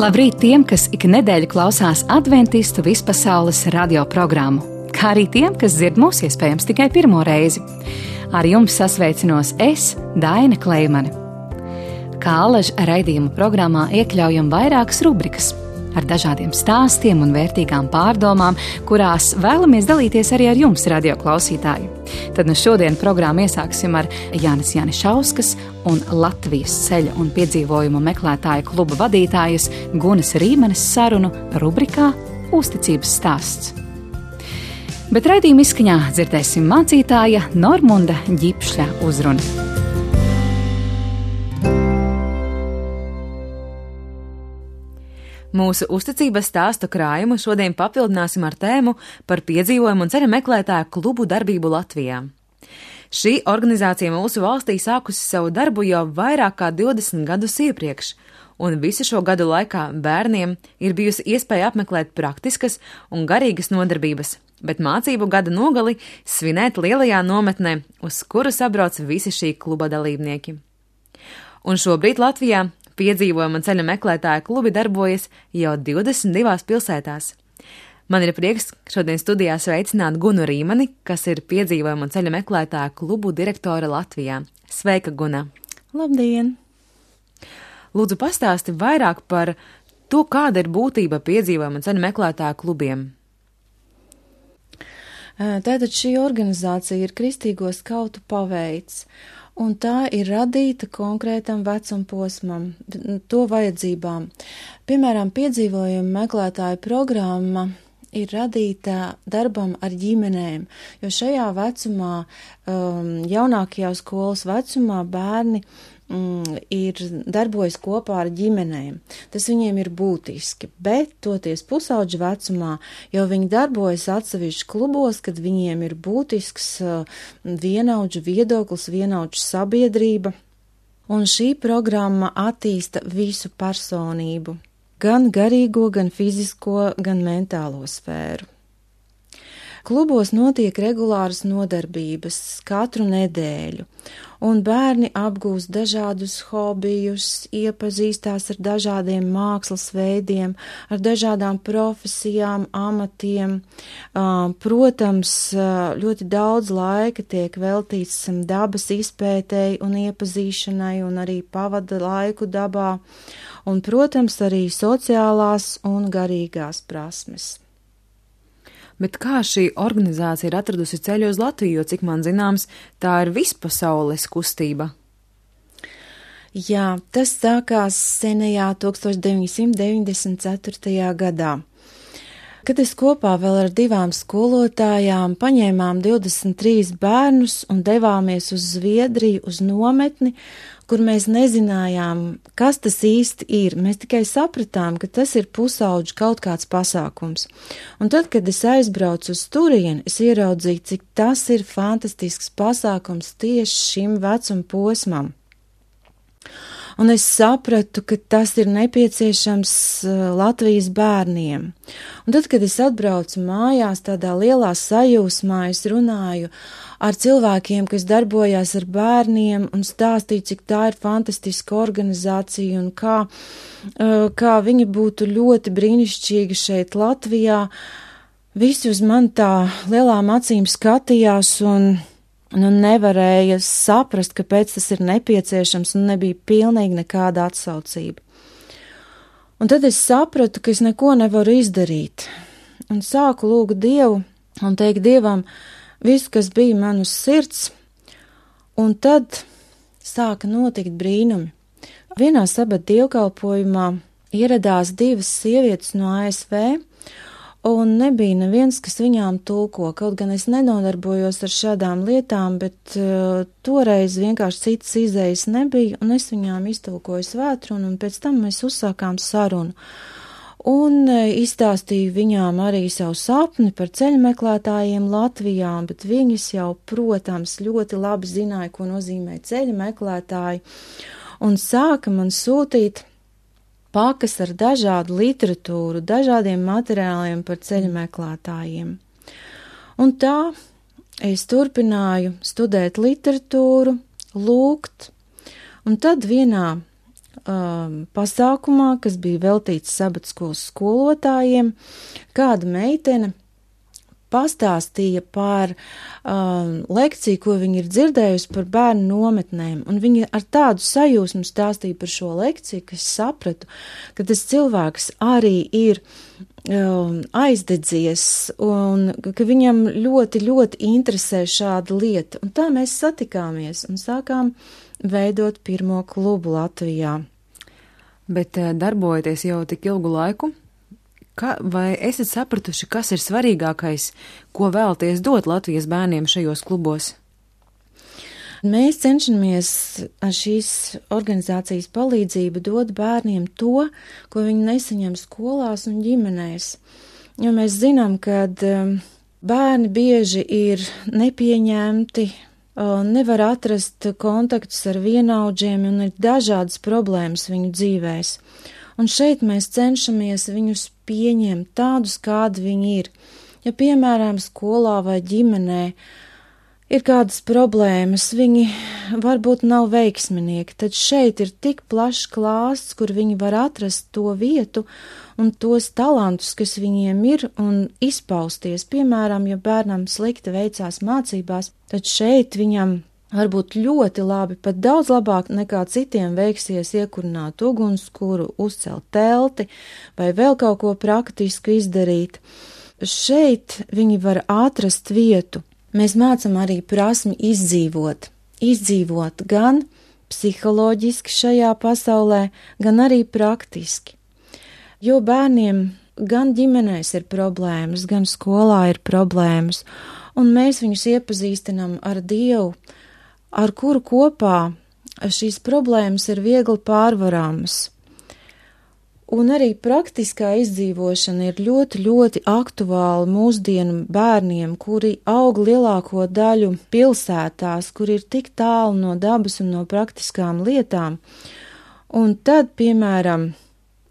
Labrīt tiem, kas ik nedēļu klausās adventistu vispasaules radio programmu, kā arī tiem, kas dzird mūs iespējams tikai pirmo reizi. Ar jums sasveicinos es, Daina Kleimane. Kā alaža raidījuma programmā iekļaujam vairākas rubrikas ar dažādiem stāstiem un vērtīgām pārdomām, kurās vēlamies dalīties arī ar jums, radio klausītāji. Tad nu šodien programmu iesāksim ar Jānis Janišauskas un Latvijas ceļa un piedzīvojumu meklētāju kluba vadītājas Gunas Rīmenes sarunu rubrikā Uzticības stāsts. Bet raidījuma izskaņā dzirdēsim mācītāja Normunda Ģipšļa uzrunu. Mūsu uzticības stāstu krājumu šodien papildināsim ar tēmu par piedzīvojumu un ceļa meklētāju klubu darbību Latvijā. Šī organizācija mūsu valstī sākusi savu darbu jau vairāk kā 20 gadus iepriekš, un visu šo gadu laikā bērniem ir bijusi iespēja apmeklēt praktiskas un garīgas nodarbības, bet mācību gada nogali svinēt lielajā nometnē, uz kuru sabrauc visi šī kluba dalībnieki. Un šobrīd Latvijā piedzīvojuma un ceļa meklētāja klubi darbojas jau 22 pilsētās. Man ir prieks šodien studijā sveicināt Gunu Rīmeni, kas ir piedzīvojuma un ceļa meklētāja klubu direktore Latvijā. Sveika, Guna! Labdien! Lūdzu, pastāsti vairāk par to, kāda ir būtība piedzīvojuma un ceļa meklētāja klubiem. Tātad šī organizācija ir Kristīgo skautu paveids, un tā ir radīta konkrētam vecumposmam, to vajadzībām. Piemēram, piedzīvojuma meklētāja programma ir radīta darbam ar ģimenēm, jo šajā vecumā, jaunākajā skolas vecumā bērni ir darbojas kopā ar ģimenēm. Tas viņiem ir būtiski, bet toties pusauģa vecumā jau viņi darbojas atsevišķi klubos, kad viņiem ir būtisks vienaudžu viedoklis, vienaudžu sabiedrība, un šī programma attīsta visu personību, gan garīgo, gan fizisko, gan mentālo sfēru. Klubos notiek regulāras nodarbības katru nedēļu, un bērni apgūst dažādus hobijus, iepazīstās ar dažādiem mākslas veidiem, ar dažādām profesijām, amatiem. Protams, ļoti daudz laika tiek veltīts dabas izpētēji un iepazīšanai, un arī pavada laiku dabā, un, protams, arī sociālās un garīgās prasmes. Bet kā šī organizācija ir atradusi ceļu uz Latviju, jo, cik man zināms, tā ir vispasaules kustība? Jā, tas sākās senajā 1994. gadā. Kad es kopā vēl ar 2 skolotājām paņēmām 23 bērnus un devāmies uz Zviedriju, uz nometni, kur mēs nezinājām, kas tas īsti ir. Mēs tikai sapratām, ka tas ir pusauģu kaut kāds pasākums. Un tad, kad es aizbraucu uz turieni, es ieraudzīju, cik tas ir fantastisks pasākums tieši šim vecuma posmam. Un es sapratu, ka tas ir nepieciešams Latvijas bērniem. Un tad, kad es atbraucu mājās tādā lielā sajūsmā, es runāju ar cilvēkiem, kas darbojās ar bērniem, un stāstīju, cik tā ir fantastiska organizācija un kā viņi būtu ļoti brīnišķīgi šeit Latvijā. Visi uz mani tā lielām acīm skatījās un nevarēja saprast, kāpēc tas ir nepieciešams, un nebija pilnīgi nekāda atsaucība. Un tad es sapratu, ka es neko nevaru izdarīt, un sāku lūgt Dievu un teikt Dievam visu, kas bija man uz sirds, un tad sāka notikt brīnumi. Vienā sabata dievkalpojumā ieradās 2 sievietes no ASV, un nebija neviens, kas viņām tulko, kaut gan es nenodarbojos ar šādām lietām, bet toreiz vienkārši citas izējas nebija, un es viņām iztulkoju svētrunu, un pēc tam mēs uzsākām sarunu. Un izstāstīju viņām arī savu sapni par ceļmeklētājiem Latvijā, bet viņas jau, protams, ļoti labi zināja, ko nozīmē ceļmeklētāji, un sāka man sūtīt pakas ar dažādu literatūru, dažādiem materiāliem par ceļmeklētājiem. Un tā es turpināju studēt literatūru, lūgt, un tad vienā pasākumā, kas bija veltīts sabatskolas skolotājiem, kāda meitene pastāstīja par lekciju, ko viņa ir dzirdējusi par bērnu nometnēm, un viņa ar tādu sajūsmu stāstīja par šo lekciju, ka es sapratu, ka tas cilvēks arī ir aizdedzies, un ka viņam ļoti, ļoti interesē šāda lieta, un tā mēs satikāmies un sākām veidot pirmo klubu Latvijā. Bet darbojoties jau tik ilgu laiku, vai esat sapratuši, kas ir svarīgākais, ko vēlaties dot Latvijas bērniem šajos klubos? Mēs cenšamies ar šīs organizācijas palīdzību dot bērniem to, ko viņi nesaņem skolās un ģimenēs. Jo mēs zinām, ka bērni bieži ir nepieņemti, nevar atrast kontaktus ar vienaudžiem un ir dažādas problēmas viņu dzīvēs. Un šeit mēs cenšamies viņus pieņemt tādus, kādi viņi ir. Ja, piemēram, skolā vai ģimenē ir kādas problēmas, viņi varbūt nav veiksminieki, tad šeit ir tik plašs klāsts, kur viņi var atrast to vietu un tos talantus, kas viņiem ir, un izpausties. Piemēram, ja bērnam slikti veicās mācībās, tad šeit viņam varbūt ļoti labi, pat daudz labāk nekā citiem veiksies iekurināt ugunskura, uzcelt telti vai vēl kaut ko praktisku izdarīt. Šeit viņi var atrast vietu. Mēs mācam arī prasmi izdzīvot gan psiholoģiski šajā pasaulē, gan arī praktiski. Jo bērniem gan ģimenēs ir problēmas, gan skolā ir problēmas, un mēs viņus iepazīstinam ar Dievu, ar kuru kopā šīs problēmas ir viegli pārvarāmas. Un arī praktiskā izdzīvošana ir ļoti, ļoti aktuāla mūsdienu bērniem, kuri aug lielāko daļu pilsētās, kur ir tik tālu no dabas un no praktiskām lietām. Un tad, piemēram,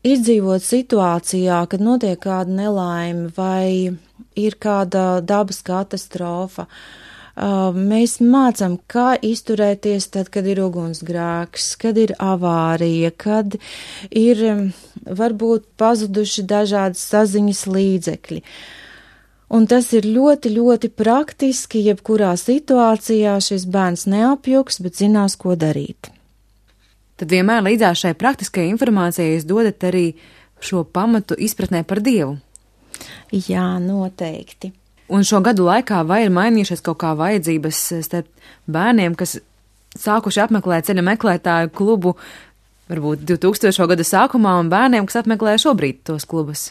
izdzīvot situācijā, kad notiek kāda nelaime vai ir kāda dabas katastrofa, mēs mācām, kā izturēties tad, kad ir ugunsgrēks, kad ir avārija, kad ir varbūt pazuduši dažādas saziņas līdzekļi. Un tas ir ļoti, ļoti praktiski, jebkurā situācijā šis bērns neapjuks, bet zinās, ko darīt. Tad vienmēr līdzās šai praktiskajai informācijai jūs dodat arī šo pamatu izpratnē par Dievu? Jā, noteikti. Un šo gadu laikā vai ir mainījušies kaut kā vajadzības starp bērniem, kas sākuši apmeklēt ceļa meklētāju klubu varbūt 2000. gada sākumā, un bērniem, kas apmeklē šobrīd tos klubus?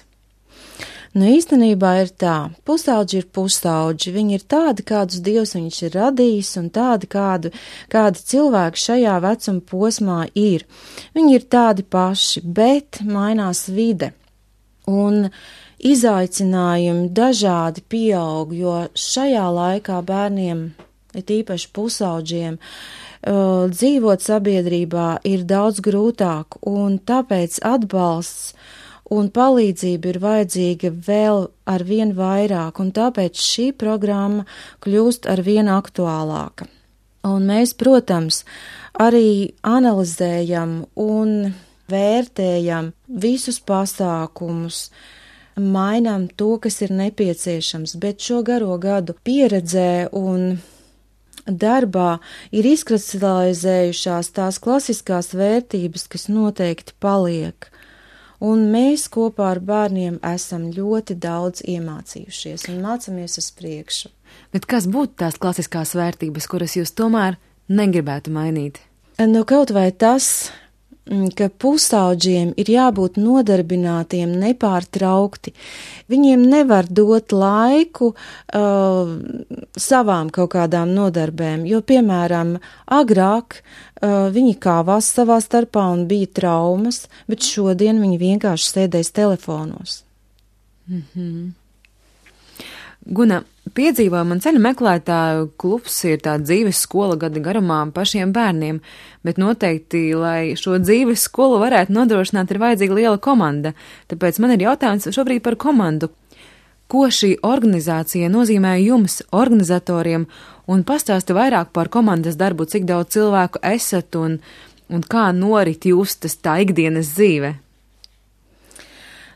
Nu, īstenībā ir tā, pusauģi ir pusauģi, viņi ir tādi, kādus Dievs viņš ir radījis, un tādi, kādi cilvēki šajā vecuma posmā ir. Viņi ir tādi paši, bet mainās vide. Un izaicinājumi dažādi pieaug, jo šajā laikā bērniem, it īpaši pusauģiem, dzīvot sabiedrībā ir daudz grūtāk, un tāpēc atbalsts un palīdzība ir vajadzīga vēl ar vien vairāk, un tāpēc šī programma kļūst ar vien aktuālāka. Un mēs, protams, arī analizējam un vērtējam visus pasākumus, mainām to, kas ir nepieciešams, bet šo garo gadu pieredzē un darbā ir izkristalizējušās tās klasiskās vērtības, kas noteikti paliek. Un mēs kopā ar bērniem esam ļoti daudz iemācījušies un mācāmies uz priekšu. Bet kas būtu tās klasiskās vērtības, kuras jūs tomēr negribētu mainīt? Nu, kaut vai tas, ka pusauģiem ir jābūt nodarbinātiem nepārtraukti. Viņiem nevar dot laiku savām kaut kādām nodarbēm, jo, piemēram, agrāk viņi kāvās savā starpā un bija traumas, bet šodien viņi vienkārši sēdēs telefonos. Guna, piedzīvojuma un ceļu meklētāju klubs ir tā dzīves skola gada garumā pašiem bērniem, bet noteikti, lai šo dzīves skolu varētu nodrošināt, ir vajadzīga liela komanda. Tāpēc man ir jautājums šobrīd par komandu. Ko šī organizācija nozīmē jums, organizatoriem, un pastāsti vairāk par komandas darbu, cik daudz cilvēku esat un un kā norit justas tā ikdienas dzīve?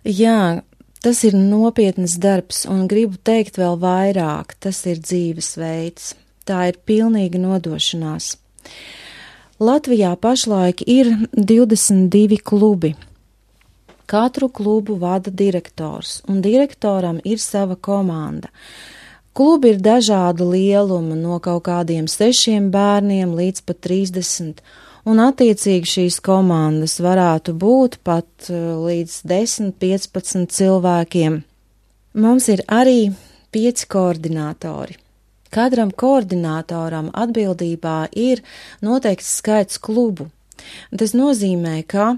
Jā, tas ir nopietnas darbs, un gribu teikt vēl vairāk, tas ir dzīvesveids. Tā ir pilnīga nodošanās. Latvijā pašlaik ir 22 klubi. Katru klubu vada direktors, un direktoram ir sava komanda. Klubi ir dažādu lielumu, no kaut kādiem 6 bērniem līdz pat 30, un attiecīgi šīs komandas varētu būt pat līdz 10-15 cilvēkiem. Mums ir arī 5 koordinātori. Katram koordinātoram atbildībā ir noteikts skaits klubu. Tas nozīmē, ka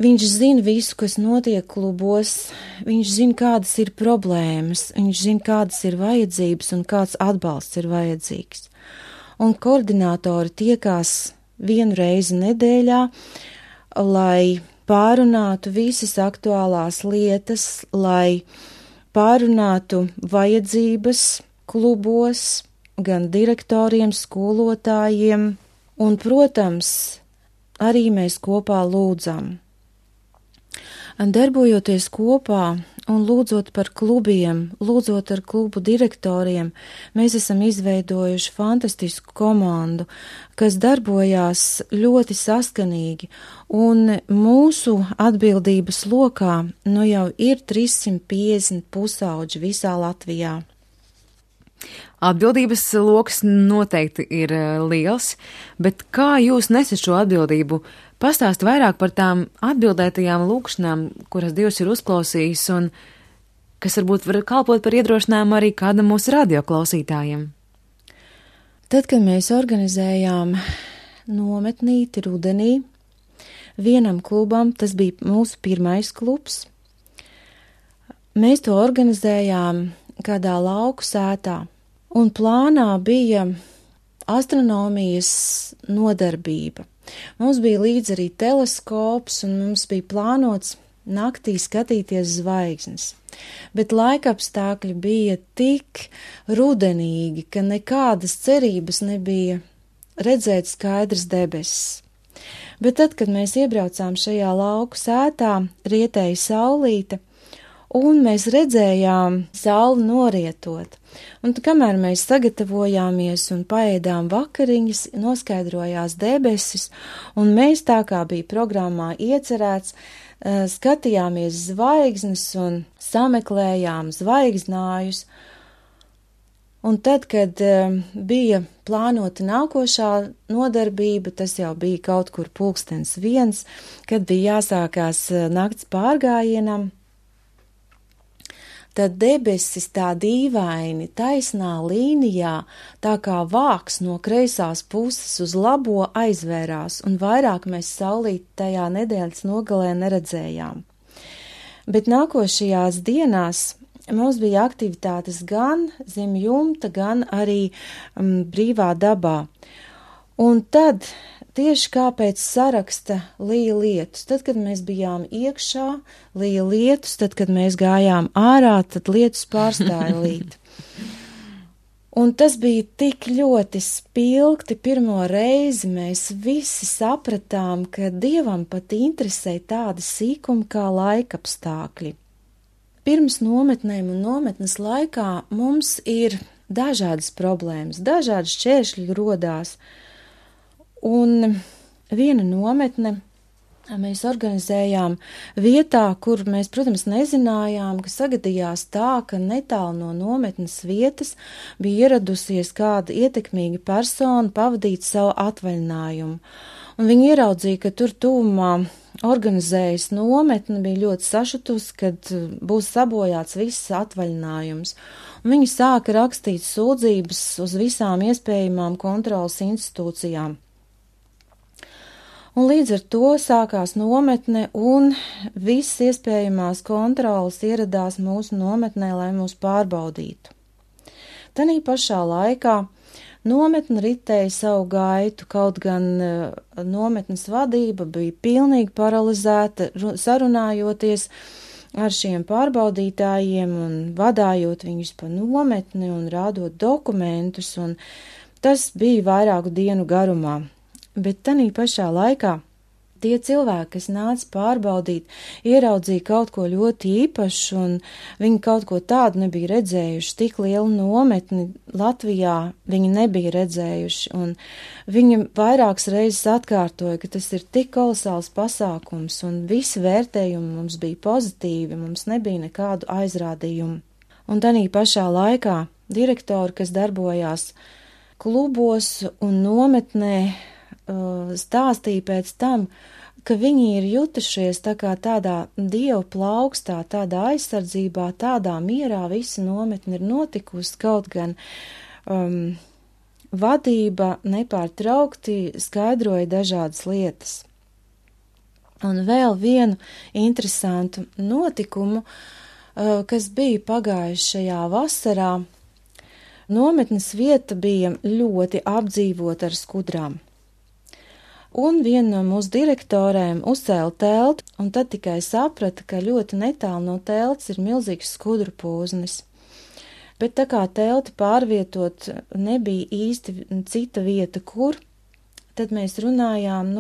viņš zina visu, kas notiek klubos, viņš zina, kādas ir problēmas, viņš zina, kādas ir vajadzības un kāds atbalsts ir vajadzīgs. Un koordinātori tiekās 1 reizi nedēļā, lai pārunātu visas aktuālās lietas, lai pārunātu vajadzības klubos, gan direktoriem, skolotājiem, un, protams, arī mēs kopā lūdzam. Darbojoties kopā un lūdzot par klubiem, lūdzot ar klubu direktoriem, mēs esam izveidojuši fantastisku komandu, kas darbojās ļoti saskanīgi, un mūsu atbildības lokā nu jau ir 350 pusauģi visā Latvijā. Atbildības loks noteikti ir liels, bet kā jūs nesat šo atbildību? Pastāst vairāk par tām atbildētajām lūkšanām, kuras Dievs ir uzklausījis un kas varbūt var kalpot par iedrošinājumu arī kādam mūsu radioklausītājiem. Tad, kad mēs organizējām nometnīti rudenī, vienam klubam, tas bija mūsu pirmais klubs, mēs to organizējām kādā lauku sētā, un plānā bija astronomijas nodarbība. Mums bija līdz arī teleskops, un mums bija plānots naktī skatīties zvaigznes. Bet laikapstākļi bija tik rudenīgi, ka nekādas cerības nebija redzēt skaidrs debesis. Bet tad, kad mēs iebraucām šajā lauku sētā, rietēja saulīte, un mēs redzējām sauli norietot. Un kamēr mēs sagatavojāmies un paēdām vakariņas, noskaidrojās debesis, un mēs tā kā bija programmā iecerēts, skatījāmies zvaigznes un sameklējām zvaigznājus. Un tad, kad bija plānota nākošā nodarbība, tas jau bija kaut kur 1:00, kad bija jāsākās nakts pārgājienam, tad debesis tā dīvaini taisnā līnijā, tā kā vāks no kreisās puses uz labo aizvērās, un vairāk mēs saulīti tajā nedēļas nogalē neredzējām. Bet nākošajās dienās mums bija aktivitātes gan zem jumta, gan arī brīvā dabā. Un tad tieši kā pēc saraksta lija lietus. Tad, kad mēs bijām iekšā, lija lietus, tad, kad mēs gājām ārā, tad lietus pārstāja līt. Un tas bija tik ļoti spilgti, pirmo reizi mēs visi sapratām, ka Dievam pat interesē tādi sīkumi kā laikapstākļi. Pirms nometnēm un nometnes laikā mums ir dažādas problēmas, dažādas šķēršļi rodās. Un viena nometne mēs organizējām vietā, kur mēs, protams, nezinājām, ka sagadījās tā, ka netālu no nometnes vietas bija ieradusies kāda ietekmīga persona pavadīt savu atvaļinājumu. Un viņi ieraudzīja, ka tur tuvumā organizējas nometne, bija ļoti sašutusi, kad būs sabojāts viss atvaļinājums. Un viņi sāka rakstīt sūdzības uz visām iespējamām kontrolas institūcijām. Un līdz ar to sākās nometne, un visas iespējamās kontrolas ieradās mūsu nometnē, lai mūs pārbaudītu. Tanī pašā laikā nometne ritēja savu gaitu, kaut gan nometnes vadība bija pilnīgi paralizēta, sarunājoties ar šiem pārbaudītājiem un vadājot viņus pa nometni un rādot dokumentus, un tas bija vairāku dienu garumā. bet tanī pašā laikā tie cilvēki, kas nāca pārbaudīt, ieraudzīja kaut ko ļoti īpašu, un viņi kaut ko tādu nebija redzējuši, tik lielu nometni Latvijā viņi nebija redzējuši, un viņi vairākas reizes atkārtoja, ka tas ir tik kolosāls pasākums, un visi vērtējumi mums bija pozitīvi, mums nebija nekādu aizrādījumu. Un tanī pašā laikā direktori, kas darbojās klubos un nometnē, stāstīja pēc tam, ka viņi ir jutušies tā kā tādā dievu plaukstā, tādā aizsardzībā, tādā mierā visa nometne ir notikusi, kaut gan vadība nepārtraukti skaidroja dažādas lietas. Un vēl vienu interesantu notikumu, kas bija pagājušajā vasarā, nometnes vieta bija ļoti apdzīvota ar skudrām. Un viena no mūsu direktorēm uzcēla teltu, un tad tikai saprata, ka ļoti netālu no telts ir milzīgs skudru pūznis. Bet tā kā telti pārvietot nebija īsti cita vieta, kur, tad mēs runājām,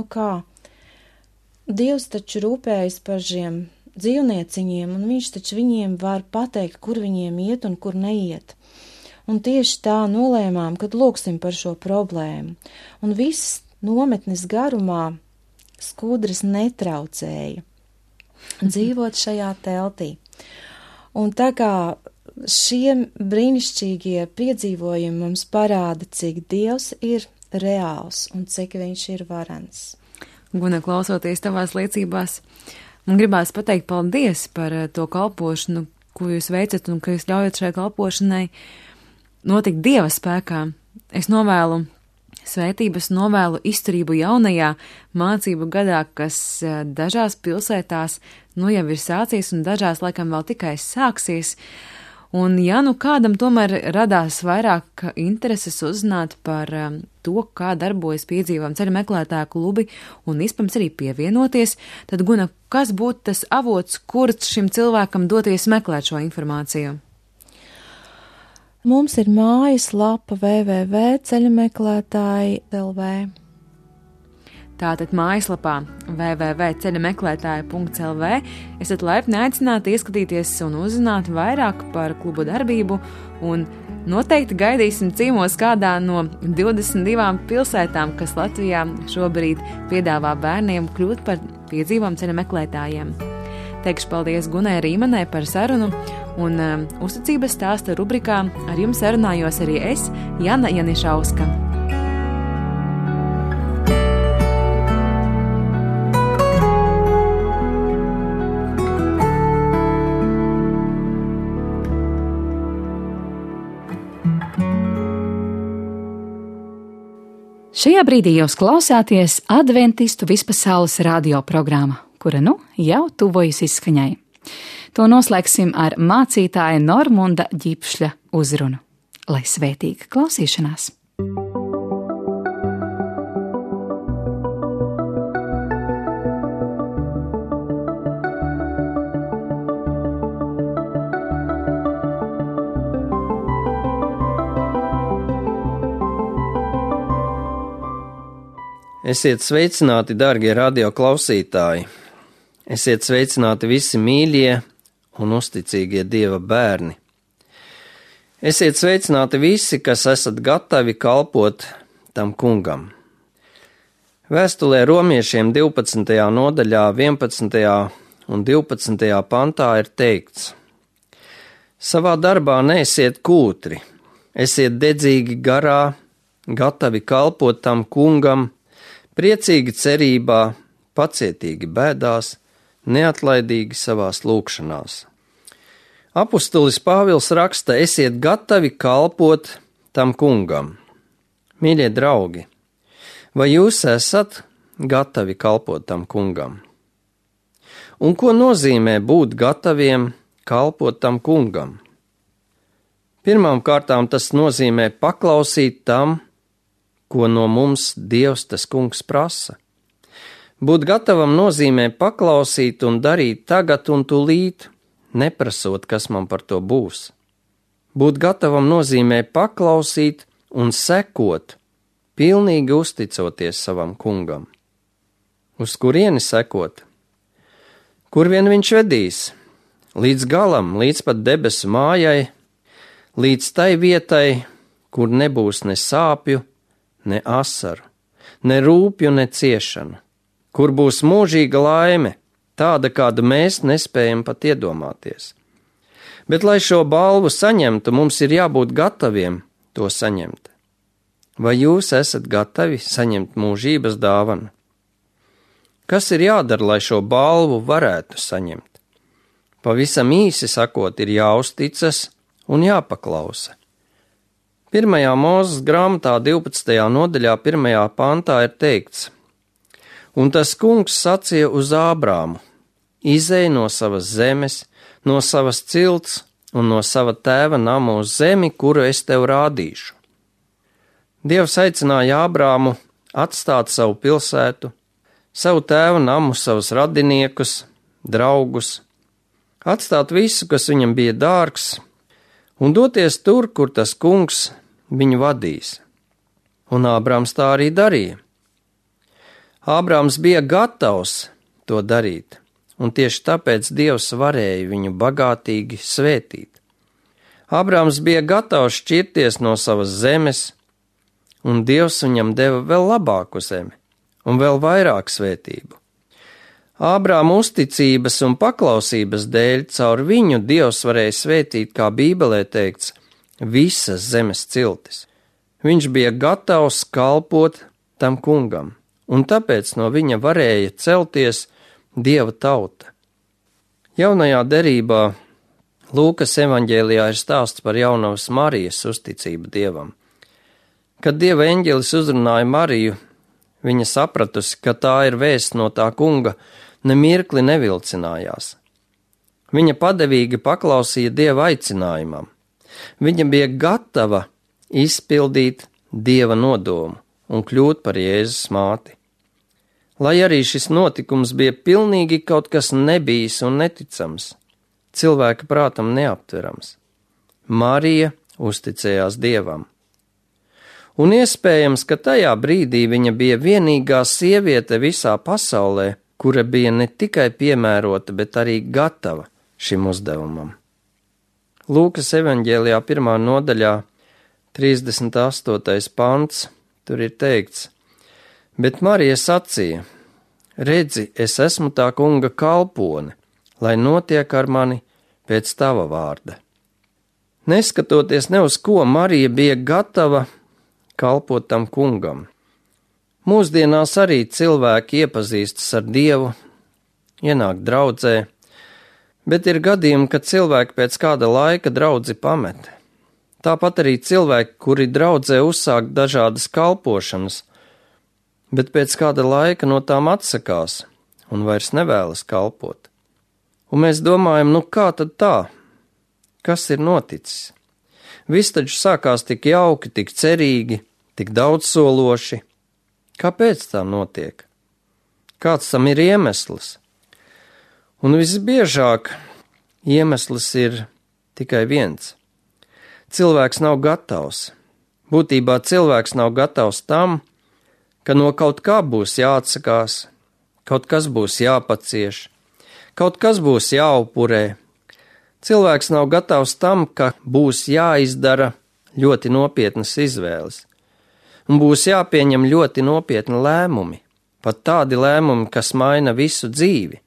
Dievs taču rūpējas par šiem dzīvnieciņiem, un viņš taču viņiem var pateikt, kur viņiem iet un kur neiet. Un tieši tā nolēmām, kad lūksim par šo problēmu. Un viss nometnes garumā skudras netraucēja dzīvot šajā teltī. Un tā kā šie brīnišķīgie piedzīvojumi mums parāda, cik Dievs ir reāls un cik viņš ir varens. Guna, klausoties tavās liecībās, man gribās pateikt paldies par to kalpošanu, ko jūs veicat un ka jūs ļaujat šai kalpošanai notikt Dieva spēkā. Es novēlu svētības, novēlu izturību jaunajā mācību gadā, kas dažās pilsētās jau ir sācies un dažās laikam vēl tikai sāksies. Un ja kādam tomēr radās vairāk intereses uzzināt par to, kā darbojas piedzīvojuma ceļa meklētāju klubi un iespējams arī pievienoties, tad, Guna, kas būtu tas avots, kur šim cilvēkam doties meklēt šo informāciju? Mums ir mājaslapa www.ceļameklētāji.lv. Tātad mājaslapā www.ceļameklētāji.lv esat laipni aicināti ieskatīties un uzzināt vairāk par klubu darbību, un noteikti gaidīsim ciemos kādā no 22 pilsētām, kas Latvijā šobrīd piedāvā bērniem kļūt par piedzīvojumu ceļa meklētājiem. Teikšu paldies Gunai Rīmanai par sarunu, un uzticības stāsta rubrikā ar jums sarunājos arī es, Jana Janišauska. Šajā brīdī jūs klausāties Adventistu vispasaules radioprogrammu, kura jau tuvojas izskaņai. To noslēgsim ar mācītāja Normunda Ģipšļa uzrunu. Lai svētīga klausīšanās! Esiet sveicināti, darbie radioklausītāji! Esiet sveicināti visi mīļie un uzticīgie Dieva bērni! Esiet sveicināti visi, kas esat gatavi kalpot tam kungam. Vēstulē romiešiem 12. nodaļā, 11. un 12. pantā ir teikts: Savā darbā neesiet kūtri, esiet dedzīgi garā, gatavi kalpot tam kungam, priecīgi cerībā, pacietīgi bēdās, neatlaidīgi savās lūgšanās. Apustulis Pāvils raksta: esiet gatavi kalpot tam kungam. Mīļie draugi, vai jūs esat gatavi kalpot tam kungam? Un ko nozīmē būt gataviem kalpot tam kungam? Pirmām kārtām tas nozīmē paklausīt tam, ko no mums Dievs tas kungs prasa. Būt gatavam nozīmē paklausīt un darīt tagad un tūlīt, neprasot, kas man par to būs. Būt gatavam nozīmē paklausīt un sekot, pilnīgi uzticoties savam kungam. Uz kurieni sekot? Kur vien viņš vedīs? Līdz galam, līdz pat debesu mājai, līdz tai vietai, kur nebūs ne sāpju, ne asaru, ne rūpju, ne ciešanu, kur būs mūžīga laime, tāda, kādu mēs nespējam pat iedomāties. Bet, lai šo balvu saņemtu, mums ir jābūt gataviem to saņemt. Vai jūs esat gatavi saņemt mūžības dāvanu? Kas ir jādara, lai šo balvu varētu saņemt? Pavisam īsi sakot, ir jāuzticas un jāpaklausa. 1. Mūzes grāmatā 12. nodaļā 1. pantā ir teikts: Un tas kungs sacīja uz Ābrāmu: Izej no savas zemes, no savas cilts un no sava tēva nama uz zemi, kuru es tev rādīšu. Dievs aicināja Ābrāmu atstāt savu pilsētu, savu tēva namu, savus radiniekus, draugus, atstāt visu, kas viņam bija dārgs, un doties tur, kur tas kungs viņu vadīs. Un Ābrāms tā arī darīja. Ābrāms bija gatavs to darīt, un tieši tāpēc Dievs varēja viņu bagātīgi svētīt. Ābrāms bija gatavs šķirties no savas zemes, un Dievs viņam deva vēl labāku zemi un vēl vairāk svētību. Ābrāma uzticības un paklausības dēļ caur viņu Dievs varēja svētīt, kā Bībelē teikts, visas zemes ciltis. Viņš bija gatavs kalpot tam kungam, un tāpēc no viņa varēja celties Dieva tauta. Jaunajā derībā Lūkas evaņģēlijā ir stāsts par jaunavas Marijas uzticību Dievam. Kad Dieva eņģelis uzrunāja Mariju, viņa sapratusi, ka tā ir vēsts no tā kunga, nemirkli nevilcinājās. Viņa padevīgi paklausīja Dieva aicinājumam. Viņa bija gatava izpildīt Dieva nodomu un kļūt par Jēzus māti. Lai arī šis notikums bija pilnīgi kaut kas nebijis un neticams, cilvēka prātam neaptverams, Marija uzticējās Dievam. Un iespējams, ka tajā brīdī viņa bija vienīgā sieviete visā pasaulē, kura bija ne tikai piemērota, bet arī gatava šim uzdevumam. Lūkas evaņģēlijā 1. nodaļā 38. pants, tur ir teikts: Bet Marija sacīja: Redzi, es esmu tā kunga kalpone, lai notiek ar mani pēc tava vārda. Neskatoties ne uz ko, Marija bija gatava kalpot tam kungam. Mūsdienās arī cilvēki iepazīstas ar Dievu, ienāk draudzē, bet ir gadījumi, kad cilvēki pēc kāda laika draudzi pamet. Tāpat arī cilvēki, kuri draudzē uzsāk dažādas kalpošanas, bet pēc kāda laika no tām atsakās un vairs nevēlas kalpot. Un mēs domājam, kā tad tā? Kas ir noticis? Viss taču sākās tik jauki, tik cerīgi, tik daudzsološi. Kāpēc tā notiek? Kāds tam ir iemesls? Un visbiežāk iemesls ir tikai viens. Cilvēks nav gatavs. Būtībā cilvēks nav gatavs tam, ka no kaut kā būs jāatsakās, kaut kas būs jāpacieš, kaut kas būs jāupurē. Cilvēks nav gatavs tam, ka būs jāizdara ļoti nopietnas izvēles. Un būs jāpieņem ļoti nopietni lēmumi, pat tādi lēmumi, kas maina visu dzīvi.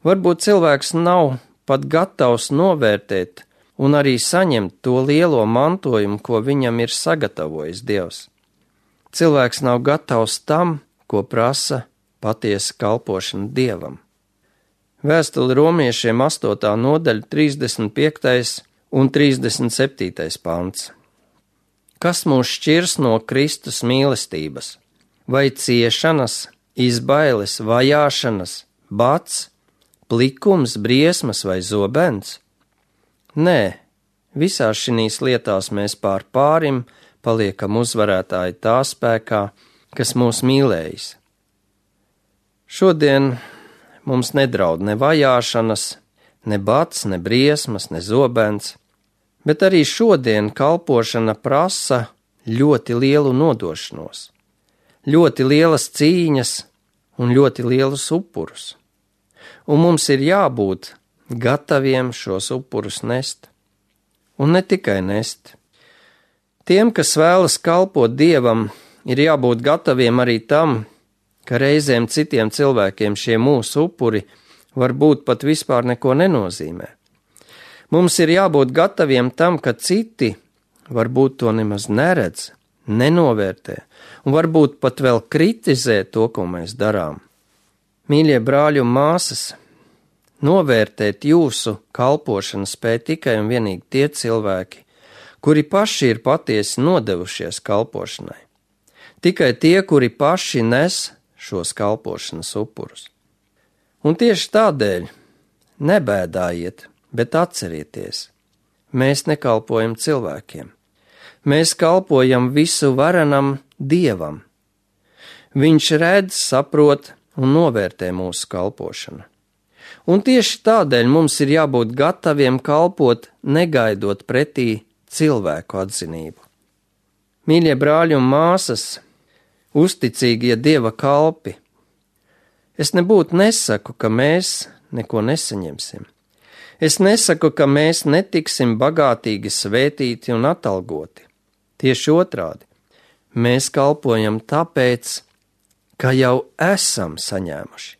Varbūt cilvēks nav pat gatavs novērtēt un arī saņemt to lielo mantojumu, ko viņam ir sagatavojis Dievs. Cilvēks nav gatavs tam, ko prasa patiesa kalpošana Dievam. Vēstuli romiešiem 8. nodaļa 35. un 37. pants. Kas mūs šķirs no Kristus mīlestības? Vai ciešanas, izbailes, vajāšanas, bats, plikums, briesmas vai zobens? Nē, visās šīs lietās mēs pār pārim paliekam uzvarētāji tā spēkā, kas mūs mīlējis. Šodien mums nedraud ne vajāšanas, ne bats, ne briesmas, ne zobens, bet arī šodien kalpošana prasa ļoti lielu nodošanos, ļoti lielas cīņas un ļoti lielus upurus. Un mums ir jābūt gataviem šos upurus nest. Un ne tikai nest. Tiem, kas vēlas kalpot Dievam, ir jābūt gataviem arī tam, ka reizēm citiem cilvēkiem šie mūsu upuri varbūt pat vispār neko nenozīmē. Mums ir jābūt gataviem tam, ka citi varbūt to nemaz neredz, nenovērtē un varbūt pat vēl kritizē to, ko mēs darām. Mīļie brāļi un māsas, novērtēt jūsu kalpošanu spēj tikai un vienīgi tie cilvēki, kuri paši ir patiesi nodevušies kalpošanai. Tikai tie, kuri paši nes šos kalpošanas upurus. Un tieši tādēļ nebēdājiet, bet atcerieties, mēs nekalpojam cilvēkiem. Mēs kalpojam visu varenam Dievam. Viņš redz, saprot un novērtē mūsu kalpošanu. Un tieši tādēļ mums ir jābūt gataviem kalpot, negaidot pretī cilvēku atzinību. Mīļie brāļi un māsas, uzticīgie Dieva kalpi, es nebūtu nesaku, ka mēs neko nesaņemsim. Es nesaku, ka mēs netiksim bagātīgi svētīti un atalgoti. Tieši otrādi, mēs kalpojam tāpēc, ka jau esam saņēmuši.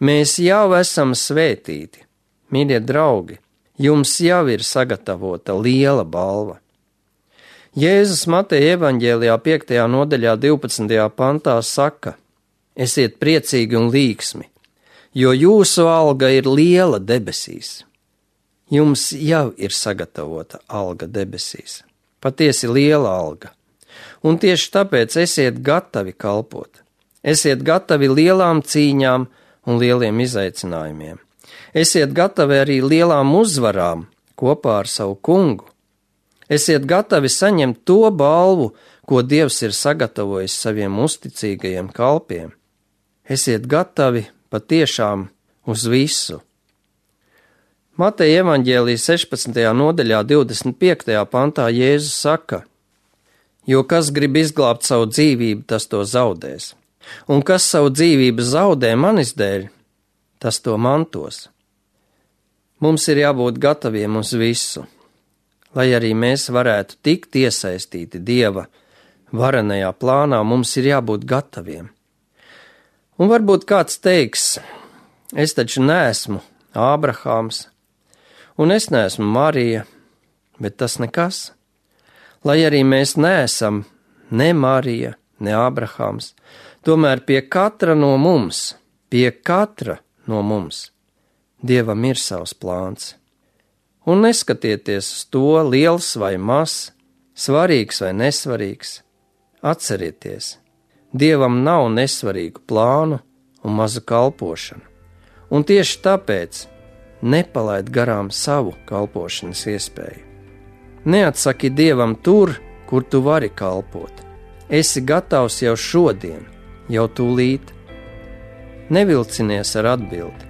Mēs jau esam svētīti. Mīļie draugi, jums jau ir sagatavota liela balva. Jēzus Mateja evaņģēlijā 5. nodaļā 12. pantā saka: esiet priecīgi un līksmi, jo jūsu alga ir liela debesīs. Jums jau ir sagatavota alga debesīs, patiesi liela alga. Un tieši tāpēc esiet gatavi kalpot. Esiet gatavi lielām cīņām un lieliem izaicinājumiem. Esiet gatavi arī lielām uzvarām kopā ar savu kungu. Esiet gatavi saņemt to balvu, ko Dievs ir sagatavojis saviem uzticīgajiem kalpiem. Esiet gatavi patiešām uz visu. Mateja evaņģēlija 16. nodaļā 25. pantā Jēzus saka: jo kas grib izglābt savu dzīvību, tas to zaudēs. Un kas savu dzīvību zaudē manis dēļ, tas to mantos. Mums ir jābūt gataviem uz visu, lai arī mēs varētu tikt iesaistīti Dieva varenajā plānā, mums ir jābūt gataviem. Un varbūt kāds teiks: es taču neesmu Ābrahāms, un es neesmu Marija, bet tas nekas. Lai arī mēs neesam ne Marija, ne Ābrahāms, tomēr pie katra no mums, Dievam ir savs plāns. Un neskatieties uz to, liels vai mazs, svarīgs vai nesvarīgs. Atcerieties, Dievam nav nesvarīgu plānu un mazu kalpošanu. Un tieši tāpēc nepalaid garām savu kalpošanas iespēju. Neatsaki Dievam tur, kur tu vari kalpot. Esi gatavs jau šodien, jau tūlīt. Nevilcinies ar atbildi,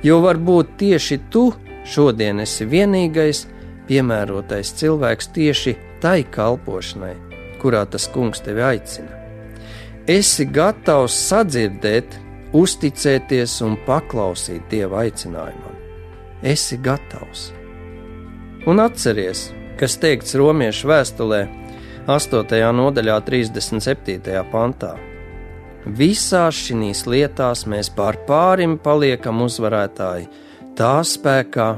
jo varbūt tieši tu šodien esi vienīgais piemērotais cilvēks tieši tai kalpošanai, kurā tas kungs tevi aicina. Esi gatavs sadzirdēt, uzticēties un paklausīt Dieva aicinājumam. Esi gatavs. Un atceries, kas teikts Romiešu vēstulē 8. nodaļā 37. pantā. Visās šīs lietās mēs pārim paliekam uzvarētāji tā spēkā,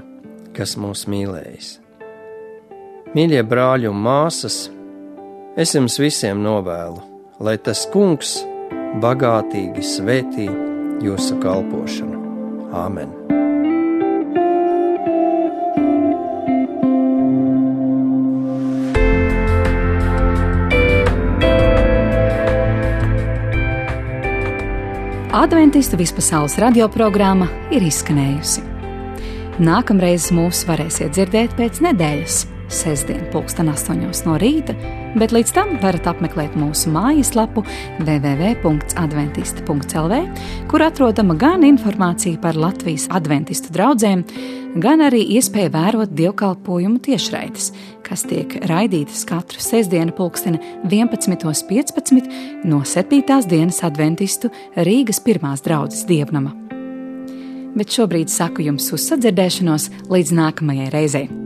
kas mūs mīlējis. Mīļie brāļi un māsas, es jums visiem novēlu, lai tas kungs bagātīgi svētī jūsu kalpošanu. Āmen! Adventistu vispasaules radioprogramma ir izskanējusi. Nākamreiz mūs varēsiet dzirdēt pēc nedēļas, sestdien 8:00 no rīta, bet līdz tam varat apmeklēt mūsu mājaslapu www.adventisti.lv, kur atrodama gan informācija par Latvijas adventistu draudzēm, gan arī iespēja vērot dievkalpojumu tiešraides, kas tiek raidītas katru sestdienu 11:15 no 7. dienas adventistu Rīgas 1. draudzes dievnama. Bet šobrīd saku jums uz sadzirdēšanos līdz nākamajai reizei.